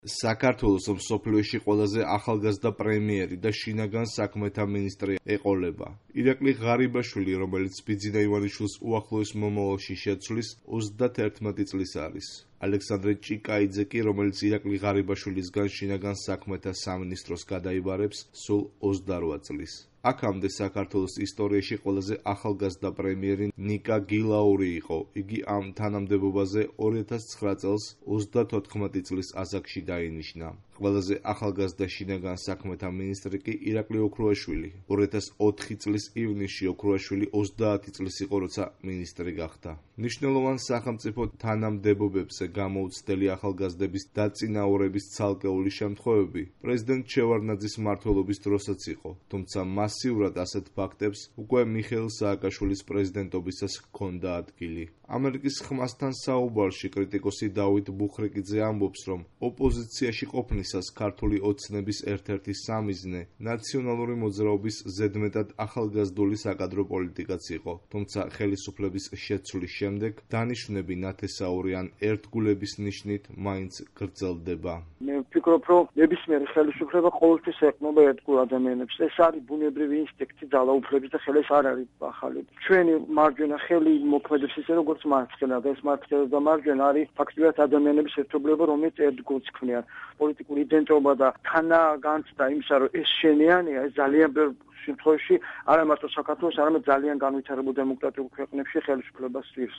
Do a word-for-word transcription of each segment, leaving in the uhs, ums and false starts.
საქართველოს მსოფლიოში ყველაზე ახალგაზრდა პრემიერი და შინაგან საქმეთა მინისტრი ეყოლება. ირაკლი ღარიბაშვილი, რომელიც ბიძინა ივანიშვილს უახლოეს მომავალში შეცვლის, ოცდაათერთმეტი წლის არის. ალექსანდრე ჭიკაიძე კი, რომელიც ირაკლი ღარიბაშვილისგან შინაგან საქმეთა სამინისტროს გადაიბარებს, სულ ოცდარვა წლის. აქამდე საქართველოს ისტორიაში ყველაზე ახალგაზრდა პრემიერი ნიკა გილაური იყო. იგი ამ თანამდებობაზე ორი ათას ცხრა წელს ოცდათოთხმეტი წლის ასაკში დაინიშნა. ყველაზე ახალგაზრდა შინაგან საქმეთა მინისტრი კი ირაკლი ოქრუაშვილი. ორი ათას ოთხი წლის ივნისში ოქრუაშვილი ოცდაათი წლის იყო, როცა მინისტრი გახდა. მნიშვნელოვან სახელმწიფო თანამდებობებზე გამოუცდელი ახალგაზრდების დაწინაურების ცალკეული შემთხვევები პრეზიდენტ შევარდნაძის მმართველობის დროსაც იყო, თუმცა მასიურად ასეთ ფაქტებს უკვე მიხეილ სააკაშვილის პრეზიდენტობისას ჰქონდა ადგილი. ამერიკის ხმასთან საუბარში კრიტიკოსი დავით ბუხრიკიძე ამბობს, რომ ოპოზიციაში ყოფნისას ქართული ოცნების ერთ-ერთი სამიზნე ნაციონალური მოძრაობის ზედმეტად ახალგაზრდული საკადრო პოლიტიკაც იყო, თუმცა ხელისუფლების შეცვლის შემდეგ დანიშვნები ნათესაური ან ერთგულების ნიშნით მაინც გრძელდება. მე ვფიქრობ, რომ ნებისმიერი ხელისუფლება ყოველთვის ეყრდნობა ერთგულ ადამიანებს. ეს არის ბუნებრივი ინსტინქტი ძალაუფლების და ხელის არ არის ახალი. ჩვენი მარჯვენა ხელი მოქმედებს ისე, როგორც მარცხენა და ეს მარცხენა და მარჯვენა არის ფაქტობრივად ადამიანების ერთობლიობა, რომელიც ერთგულს ქმნიან. პოლიტიკური იდენტობა და თანაგანცდა იმისა, რომ ეს შენიანია, ეს ძალიან ბევრ შემთხვევაში არა მარტო საქართველოს, არამედ ძალიან განვითარებულ დემოკრატიულ ქვეყნებში ხელისუფლებას სვირს.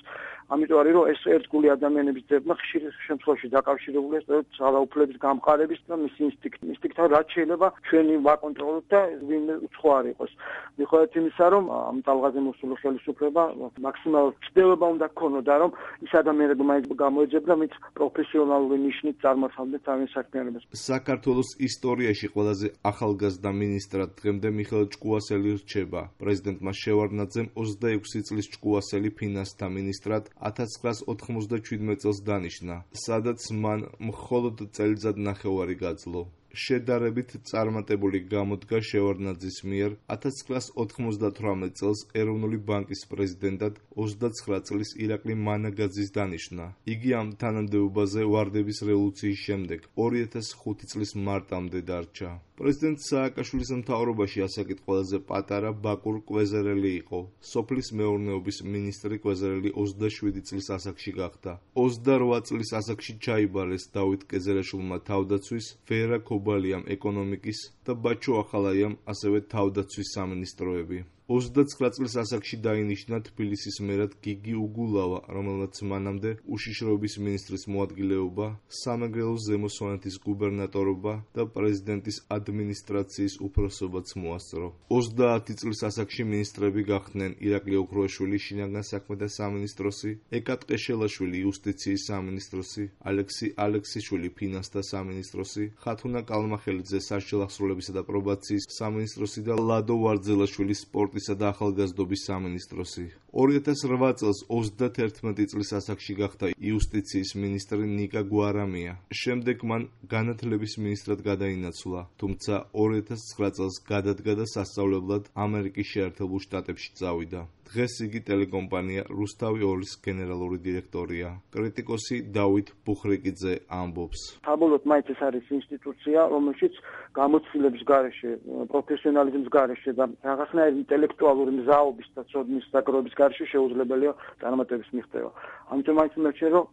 ამიტომ არის, რომ ეს ერთგული ადამიანების ძებნა ხშირ შემთხვევაში დაკავშირებულია სწორედ ძალაუფლების გამყარების და მის ინსტინქტ ინსტინქტთან, რაც შეიძლება ჩვენი ვაკონტროლოთ და ვინმე უცხო არ იყოს. მიუხედავად იმისა, რომ ამ ტალღაზე მოსული ხელისუფლება მაქსიმალურ ცდელობა უნდა გქონოდა, რომ ის ადამიანები მაინც გამოეძებდა, ვინც პროფესიონალური ნიშნით წარმართავდნენ თავის საქმიანობას. საქართველოს ისტორიაში ყველაზე ახალგაზრდა მინისტრად დღემდე მიხეილ ჭკუასელი რჩება. პრეზიდენტმა შევარდნაძემ ოცდაექვსი წლის ჭკუასელი ფინანსთა მინისტრად ათას ცხრაას ოთხმოცდაჩვიდმეტ წელს დანიშნა, სადაც მან მხოლოდ წელიწად ნახევარი გაძლო. შედარებით წარმატებული გამოდგა შევარდნაძის მიერ ათას ცხრაას ოთხმოცდათვრამეტ წელს ეროვნული ბანკის პრეზიდენტად ოცდაცხრა წლის ირაკლი მანაგაძის დანიშვნა. იგი ამ თანამდებობაზე ვარდების რევოლუციის შემდეგ ორი ათას ხუთი წლის მარტამდე დარჩა. პრეზიდენტ სააკაშვილის მთავრობაში ასაკით ყველაზე პატარა ბაკურ კვეზერელი იყო. სოფლის მეურნეობის მინისტრი კვეზერელი ოცდაშვიდი წლის ასაკში გახდა. ოცდარვა წლის ასაკში ჩაიბარეს დავით კეზერაშვილმა თავდაცვის, ვერა კობალიამ ეკონომიკის და ბაჩო ახალაიამ ასევე თავდაცვის სამინისტროები. ოცდაცხრა წლის ასაკში დაინიშნა თბილისის მერად გიგი უგულავა, რომელმაც მანამდე უშიშროების მინისტრის მოადგილეობა, სამეგრელოს ზემო სვანეთის გუბერნატორობა და პრეზიდენტის ადმინისტრაციის უფროსობაც მოასწრო. ოცდაათი წლის ასაკში მინისტრები გახდნენ ირაკლი ოქრუაშვილი, შინაგან საქმეთა სამინისტროსი, ეკა ტყეშელაშვილი, იუსტიციის სამინისტროსი, ალექსი ალექსიშვილი, ფინანსთა სამინისტროსი, ხათუნა კალმახელიძე, სასჯელ აღსრულებისა და პრობაციის სამინისტროსი და ლადო ვარძელაშვილი, სპორტის და ახალგაზრდობის სამინისტროსი. ორი ათას რვა წელს ოცდათერთმეტი წლის ასაკში გახდა იუსტიციის მინისტრი ნიკა გვარამია. შემდეგ მან განათლების მინისტრად გადაინაცვლა, თუმცა ორი ათას ცხრა წელს გადადგა და სასწავლებლად ამერიკის შეერთებულ შტატებში წავიდა. დღეს იგი ტელეკომპანია რუსთავი ორის გენერალური დირექტორია. კრიტიკოსი დავით ბუხრიკიძე ამბობს. საბოლოოდ მაინც ეს არის ინსტიტუცია, რომელშიც გამოცდილების გარეშე, პროფესიონალიზმის გარეშე და რაღაცნაირი ინტელექტუალური მზაობის და ცოდნის დაგროვების გარეშე შეუძლებელია წარმატების მიღწევა. ამიტომ მაინც მერჩენ, რომ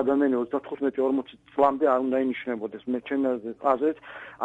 ადამიანი ოცდათხუთმეტი ორმოცი წლამდე არ უნდა ინიშნებოდეს. მე ჩემი აზრით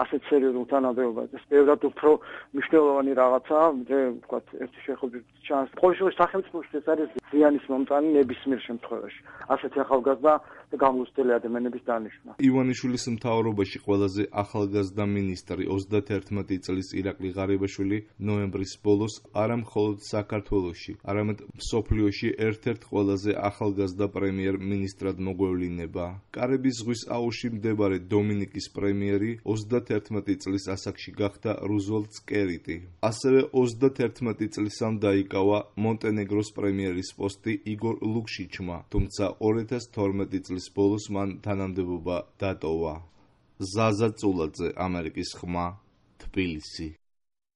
ასეთ სერიოზულ თანამდებობაზე ბევრად უფრო მნიშვნელოვანი რაღაცაა, მე ვთქვათ, ერთი შეხედვით ჩანს. სახელმწიფოში ეს არის ზიანის მომწანი ნებისმიერ შემთხვევაში. ასეთი ახალგაზრდა და გამოცდელი ადამიანების დანიშვნა. ივანიშვილის მთავრობაში ყველაზე ახალგაზრდა მინისტრი ოცდათერთმეტი წლის ირაკლი ღარიბაშვილი ნოემბრის ბოლოს არა მხოლოდ საქართველოში, არამედ მსოფლიოში ერთ-ერთ ყველაზე ახალგაზრდა პრემიერ-მინისტრად მოგვევლინება. კარიბის ზღვის აუზში მდებარე დომინიკის პრემიერი ოცდათერთმეტი წლის ასაკში გახდა რუზველტ სკერიტი. ასევე ოცდათერთმეტი წლისამ დაიკავა მონტენეგროს პრემიერის პოსტი იგორ ლუკშიჩმა, თუმცა ორი ათას თორმეტი წლის ბოლოს მან თანამდებობა დატოვა. ზაზა წულაძე, ამერიკის ხმა, თბილისი.